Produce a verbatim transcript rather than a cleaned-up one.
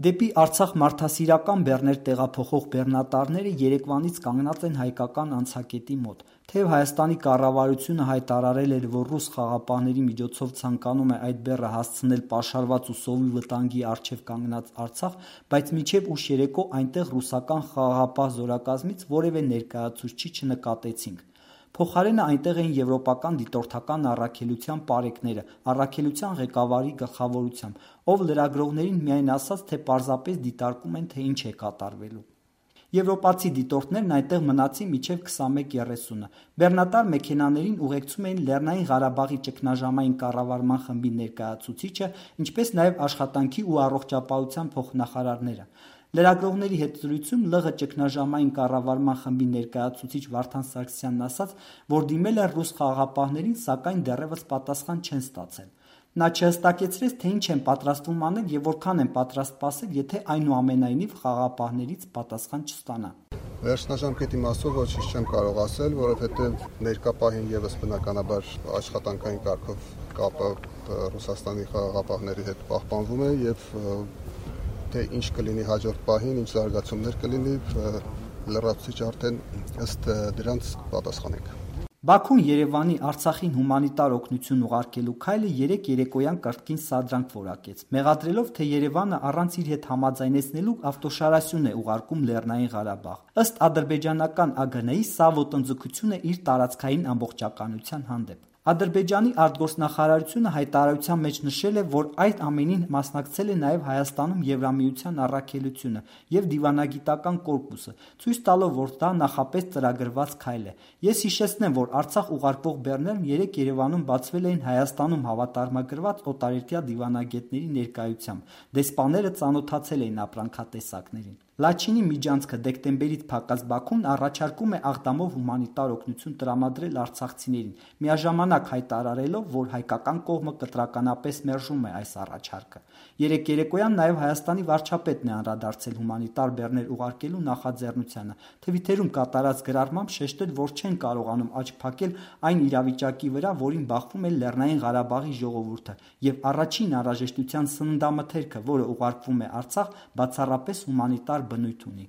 Դեպի Արցախ մարդասիրական բեռներ տեղափոխող բեռնատարները երեկվանից կանգնած են հայկական անցակետի մոտ։ Թեև Հայաստանի կառավարությունը հայտարարել էր, որ ռուս խաղապահների միջոցով ցանկանում է այդ բեռը հասցնել պաշարված ու սովի վտանգի առջև կանգնած Արցախ, բայց մինչև ուշ երեկո այնտեղ ռուսական խաղաղապահ զորակազմից որևէ ներկայացուցիչ չնկատեցինք։ Փոխարենը այնտեղ էին եվրոպական դիտորդական առաքելության պարեկները, առաքելության ղեկավարի գլխավորությամբ, ով լրագրողներին միայն ասաց, թե պարզապես դիտարկում են, թե ինչ է կատարվելու։ Եվրոպացի դիտորդներն այնտեղ մնացին մինչև քսանմեկ երեսունը։ Բեռնատար մեքենաներին ուղեկցում էին Լեռնային Ղարաբաղի ճգնաժամային կառավարման խմբի ներկայացուցիչը, ինչպես նաև աշխատանքի ու առողջապահության փոխնախարարները։ Լրագրողների հետ զրույցում ԼՂ ճգնաժամային կառավարման խմբի ներկայացուցիչ Վարդան Սարգսյանն ասաց, որ դիմել են ռուս խաղաղապահներին, սակայն դեռևս պատասխան չեն ստացել։ Նա չհստակեցրեց, թե ինչ են պատրաստվում անել եւ որքան են պատրաստ սպասել, եթե այնուամենայնիվ խաղաղապահներից պատասխան չստանան։ Վերջնաժամկետի մասով ոչինչ չեմ կարող ասել, որովհետեւ ներկա պահին եւս բնականաբար աշխատանքային կարգով կապը Ռուսաստանի խաղաղապահների հետ պահպանվում է եւ թե ինչ կլինի հաջորդ պահին, ինչ զարգացումներ կլինի, լրացուցիչ արդեն ըստ դրանց պատասխանենք։ Բաքուն Երևանի Արցախին հումանիտար օգնություն ուղարկելու քայլը երեք երեկոյան կրկին սադրանք որակեց, մեղադրելով, թե Երևանը առանց իր հետ համաձայնեցնելու ավտոշարասյուն է ուղարկում Լեռնային Ղարաբաղ։ Ըստ ադրբեջանական ԱԳՆ-ի սա ոտնձգություն է իր տարածքային ամբողջականության հանդեպ։ Ադրբեջանի արտգործնախարարությունը հայտարարության մեջ նշել է, որ այդ ամենին մասնակցել է նաև Հայաստանում Եվրամիության առաքելությունը եւ դիվանագիտական կորպուսը, ցույց տալով, որ դա նախապես ծրագրված քայլ է։ Ես հիշեցնեմ, որ Արցախ ուղարկվող բեռներն երեք Երևանում բացվել էին Հայաստանում հավատարմագրված օտարերկրյա դիվանագետների ներկայությամբ։ Դեսպաները ծանոթացել էին ապրանքատեսակներին։ Լաչինի միջանցքը դեկտեմբերից փակած Բաքուն առաջարկում է Աղդամով հումանիտար օգնություն տրամադրել արցախցիներին, միաժամանակ հայտարարելով, որ հայկական կողմը կտրականապես մերժում է այս առաջարկը։ Երեք երեկոյան նաև Հայաստանի վարչապետն է անդրադարձել հումանիտար բեռներ ուղարկելու նախաձեռնությանը, Թվիթերում կատարած գրառմամբ շեշտել, որ չեն կարողանում աչք փակել այն իրավիճակի վրա, որին բախվում է Լեռնային Ղարաբաղի ժողովուրդը, եւ առաջին անհրաժեշտության սննդամթերքը, որը ուղարկվում է Արցախ, բացառապես հումանիտար բնույթ ունի։